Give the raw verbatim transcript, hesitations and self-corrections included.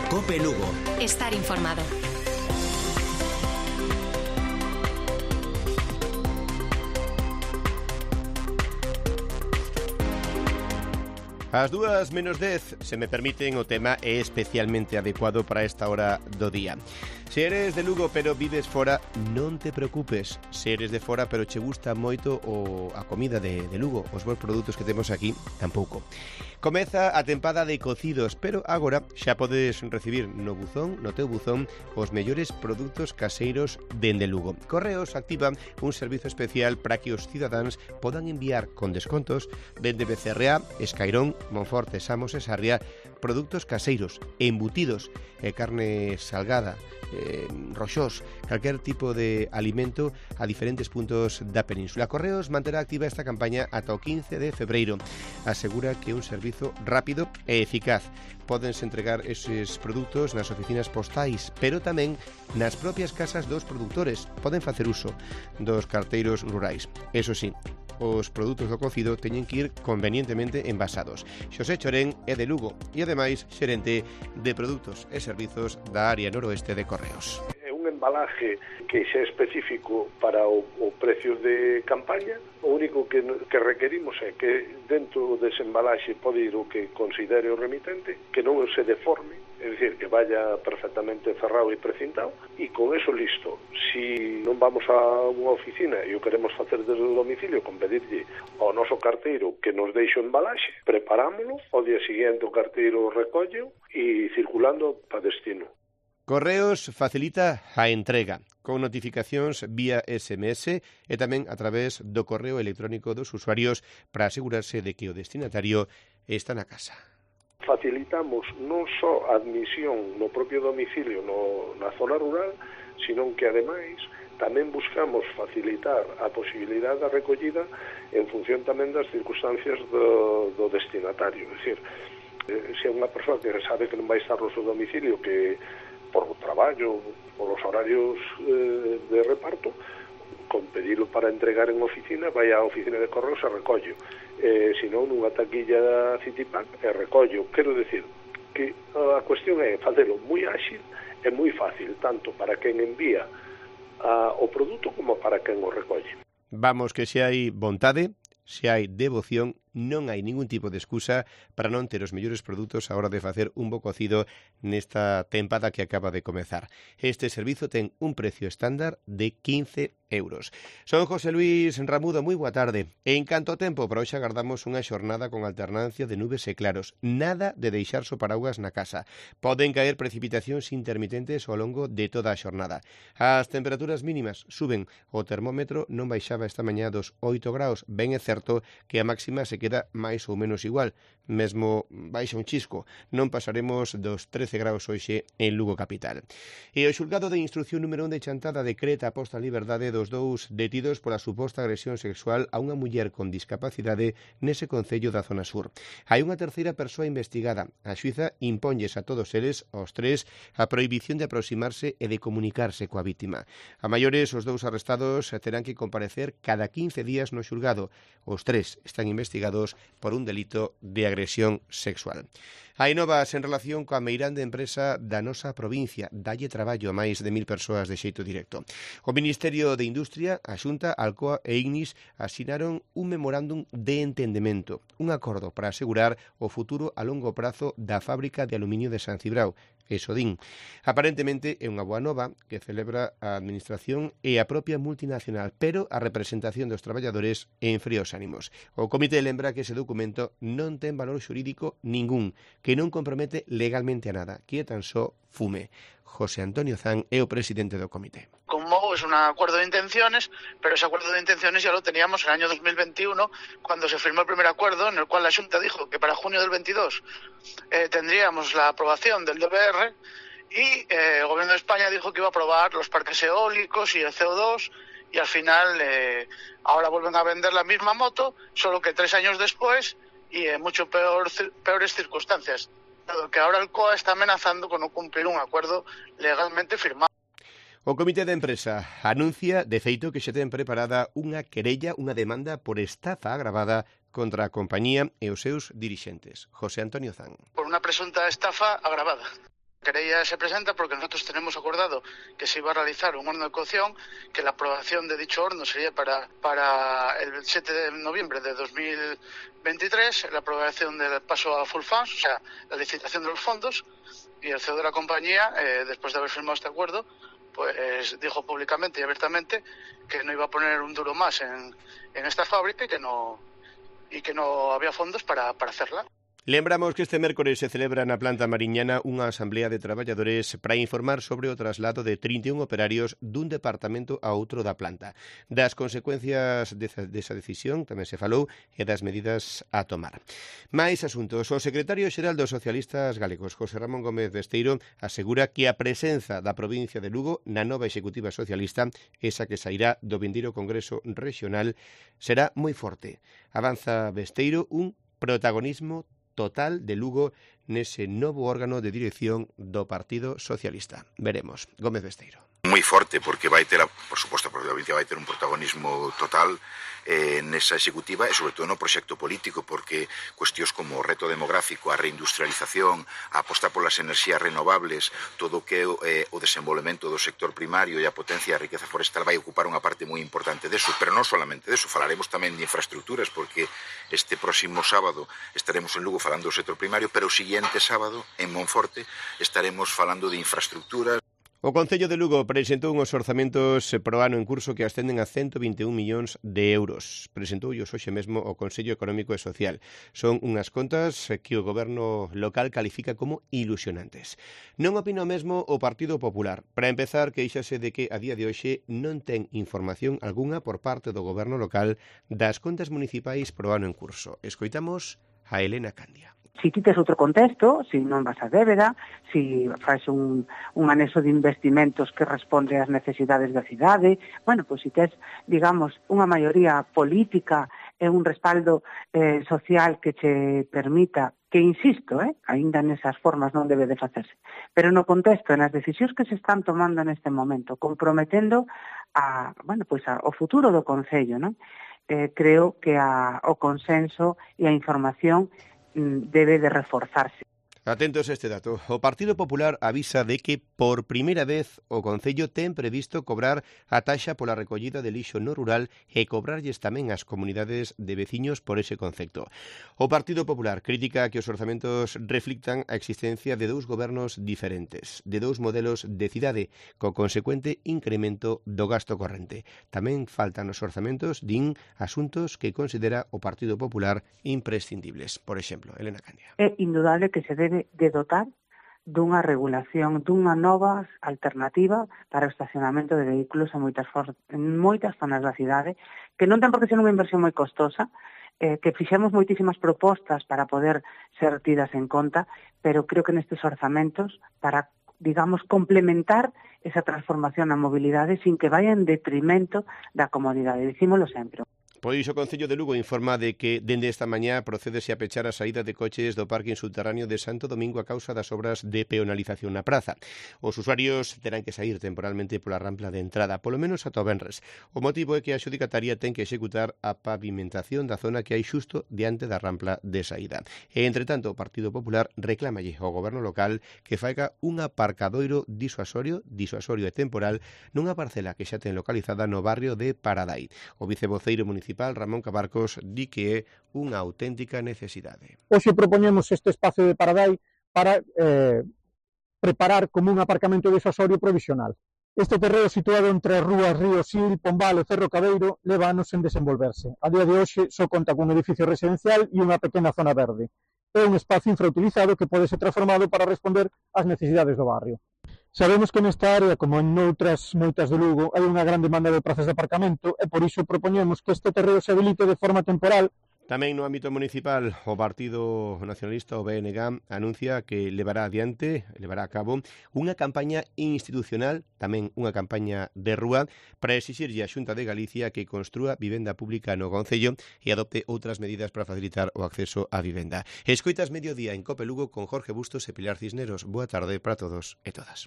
COPE Lugo. Estar informado. As dúas menos dez, se me permiten, o tema é especialmente adecuado para esta hora do día. Se eres de Lugo pero vives fora, non te preocupes. Se eres de fora pero che gusta moito o a comida de, de Lugo, os bons produtos que temos aquí, tampouco. Comeza a tempada de cocidos, pero agora xa podes recibir no buzón, no teu buzón, os mellores produtos caseiros dende Lugo. Correos activa un servizo especial para que os cidadáns podan enviar con descontos dende B C R A, Escairón, Monforte, Samos e Sarria, produtos caseiros, embutidos, eh, carne salgada, eh, roxós, calquer tipo de alimento a diferentes puntos da península. Correos manterá activa esta campaña ata o quince de febreiro. Asegura que un servizo rápido e eficaz. Pódense entregar eses produtos nas oficinas postais, pero tamén nas propias casas dos produtores. Poden facer uso dos carteiros rurais. Eso sí, os produtos do cocido teñen que ir convenientemente envasados. Xosé Chorén é de Lugo e, ademais, xerente de produtos e servizos da área noroeste de Correos. É un embalaje que xa é específico para o, o precio de campaña. O único que, que requerimos é que dentro dese embalaxe pode ir o que considere o remitente, que non se deforme, é dicir, que vaya perfectamente cerrado e precintado, e con eso listo. Si non vamos a unha oficina e o queremos facer desde o domicilio, con pedirlle ao noso carteiro que nos deixe o embalaxe, preparámoslo, ao día seguinte o carteiro recolle e circulando para destino. Correos facilita a entrega con notificacións vía S M S e tamén a través do correo electrónico dos usuarios para asegurarse de que o destinatario está na casa. Facilitamos non só a admisión no propio domicilio no, na zona rural, sino que ademais tamén buscamos facilitar a posibilidade da recollida en función tamén das circunstancias do, do destinatario. É dicir, eh, se é unha persoa que sabe que non vai estar no seu domicilio, que por o traballo, por os horarios eh, de reparto, con pedilo para entregar en oficina, vai á oficina de correos e recollo. Eh, se non, nunha taquilla da Citipack e recollo. Quero decir que a cuestión é facelo moi áxil e moi fácil, tanto para quen envía a, o produto como para quen o recolle. Vamos, que se hai vontade, se hai devoción, non hai ningún tipo de excusa para non ter os mellores produtos a hora de facer un bo cocido nesta tempada que acaba de comezar. Este servizo ten un precio estándar de quince euros. Son José Luis Ramudo, moi boa tarde. En canto ao tempo, para hoxe agardamos unha xornada con alternancia de nubes e claros. Nada de deixar so paraugas na casa. Poden caer precipitacións intermitentes ao longo de toda a xornada. As temperaturas mínimas suben. O termómetro non baixaba esta mañá dos oito graus. Ben é certo que a máxima se queda máis ou menos igual, mesmo baixa un chisco. Non pasaremos dos trece graus hoxe en Lugo capital. E o xulgado de instrucción número un de Chantada decreta a posta en liberdade dos dous detidos pola suposta agresión sexual a unha muller con discapacidade nese concello da zona sur. Hai unha terceira persoa investigada. A xuíza imponlles a todos eles, aos tres, a prohibición de aproximarse e de comunicarse coa vítima. A maiores, os dous arrestados terán que comparecer cada quince días no xulgado. Os tres están investigados por un delito de agresión sexual. Hai novas en relación coa meirande empresa da nosa provincia. Dalle traballo a máis de mil persoas de xeito directo. O Ministerio de Industria, a Xunta, Alcoa e Ignis asinaron un memorándum de entendemento, un acordo para asegurar o futuro a longo prazo da fábrica de aluminio de San Cibrao, Esodín. Aparentemente é unha boa nova que celebra a Administración e a propia multinacional, pero a representación dos traballadores en fríos ánimos. O comité lembra que ese documento non ten valor xurídico ningún, que non compromete legalmente a nada, que é tan só fume. José Antonio Zan é o presidente do comité. Como es un acuerdo de intenciones, pero ese acuerdo de intenciones ya lo teníamos en el año dos mil veintiuno, cuando se firmó el primer acuerdo, en el cual la Xunta dijo que para junio del veintidós eh, tendríamos la aprobación del D B R, y eh, el Gobierno de España dijo que iba a aprobar los parques eólicos y el C O dos, y al final eh, ahora vuelven a vender la misma moto, solo que tres años después y en mucho peor, peores circunstancias, dado que ahora el C O A está amenazando con no cumplir un acuerdo legalmente firmado. O Comité de Empresa anuncia, de feito, que xa ten preparada unha querella, unha demanda por estafa agravada contra a compañía e os seus dirixentes. José Antonio Zan. Por unha presunta estafa agravada, que querella se presenta porque nosotros tenemos acordado que se iba a realizar un horno de cocción, que la aprobación de dicho horno sería para, para el siete de noviembre de dos mil veintitrés, la aprobación del paso a full funds, o sea, la licitación de los fondos, y el C E O de la compañía, eh, después de haber firmado este acuerdo, pues dijo públicamente y abiertamente que no iba a poner un duro más en, en esta fábrica y que no, y que no había fondos para, para hacerla. Lembramos que este mércores se celebra na planta mariñana unha asamblea de traballadores para informar sobre o traslado de trinta e un operarios dun departamento a outro da planta. Das consecuencias desa, desa decisión tamén se falou e das medidas a tomar. Mais asuntos. O secretario xeral dos socialistas galegos, José Ramón Gómez Besteiro, asegura que a presenza da provincia de Lugo na nova executiva socialista, esa que sairá do vindeiro Congreso Regional, será moi forte. Avanza Besteiro un protagonismo total de Lugo nese novo órgano de dirección do Partido Socialista. Veremos. Gómez Besteiro. Moi forte, porque vai ter, a, por suposto, a provincia vai ter un protagonismo total eh, nesa executiva e, sobre todo, no proxecto político, porque cuestións como o reto demográfico, a reindustrialización, a aposta polas enerxías renovables, todo o que é eh, o desenvolvemento do sector primario e a potencia da riqueza forestal vai ocupar unha parte moi importante deso, pero non solamente deso, falaremos tamén de infraestructuras, porque este próximo sábado estaremos en Lugo falando do sector primario, pero o siguiente sábado, en Monforte, estaremos falando de infraestructuras. O Concello de Lugo presentou uns orzamentos pro ano en curso que ascenden a ciento vinte e un millóns de euros. Presentoullos hoxe mesmo o Consello Económico e Social. Son unhas contas que o goberno local califica como ilusionantes. Non opina o mesmo o Partido Popular. Para empezar, queixase de que a día de hoxe non ten información algunha por parte do goberno local das contas municipais pro ano en curso. Escoitamos a Elena Candia. Si ti tes outro contexto, si non vas a débeda, si faz un, un anexo de investimentos que responde ás necesidades da cidade, bueno, pois si tes, digamos, unha maioría política e un respaldo eh, social que che permita, que insisto, eh, aínda nesas formas non debe de facerse, pero no contexto, nas decisións que se están tomando neste momento, comprometendo a, bueno, pois a, o futuro do Concello, non? Eh, creo que a, o consenso e a información debe de reforzarse. Atentos a este dato. O Partido Popular avisa de que por primeira vez o Concello ten previsto cobrar a taxa pola recollida de lixo no rural e cobrarlles tamén ás comunidades de veciños por ese concepto. O Partido Popular critica que os orzamentos reflictan a existencia de dous gobernos diferentes, de dous modelos de cidade, co consecuente incremento do gasto corrente. Tamén faltan os orzamentos, din, asuntos que considera o Partido Popular imprescindibles. Por exemplo, Elena Candia. É indudable que se debe de dotar dunha regulación, dunha nova alternativa para o estacionamento de vehículos en moitas, for- en moitas zonas da cidade, que non ten por que ser unha inversión moi costosa, eh, que fixemos moitísimas propostas para poder ser tidas en conta, pero creo que nestes orzamentos, para, digamos, complementar esa transformación na mobilidade sin que vaya en detrimento da comodidade. Dicímolo sempre. Pois o Concello de Lugo informa de que dende esta mañá procédese a pechar a saída de coches do parking subterráneo de Santo Domingo a causa das obras de peonalización na praza. Os usuarios terán que sair temporalmente pola rampla de entrada, polo menos ata o venres. O motivo é que a xudicataría ten que executar a pavimentación da zona que hai xusto diante da rampla de saída. E, entre tanto, o Partido Popular reclámalle ao goberno local que faiga un aparcadoiro disuasorio, disuasorio e temporal nunha parcela que xa ten localizada no barrio de Paradai. O vicevoceiro municipal Ramón Cabarcos di que é unha auténtica necesidade. Hoxe propoñemos este espacio de Paradai para eh, preparar como un aparcamento disuasorio provisional. Este terreo situado entre as rúas Río Sil, Pombal e Cerro Cabeiro leva anos en desenvolverse. A día de hoxe só conta cun edificio residencial e unha pequena zona verde. É un espacio infrautilizado que pode ser transformado para responder ás necesidades do barrio. Sabemos que nesta área, como en outras moitas de Lugo, hai unha gran demanda de prazas de aparcamento e por iso propoñemos que este terreo se habilite de forma temporal. Tamén no ámbito municipal, o Partido Nacionalista, o B N G, anuncia que levará adiante, levará a cabo unha campaña institucional, tamén unha campaña de rúa, para exixirlle a Xunta de Galicia que construa vivenda pública no Concello e adopte outras medidas para facilitar o acceso á vivenda. Escoitas Mediodía en Cope Lugo con Jorge Bustos e Pilar Cisneros. Boa tarde para todos e todas.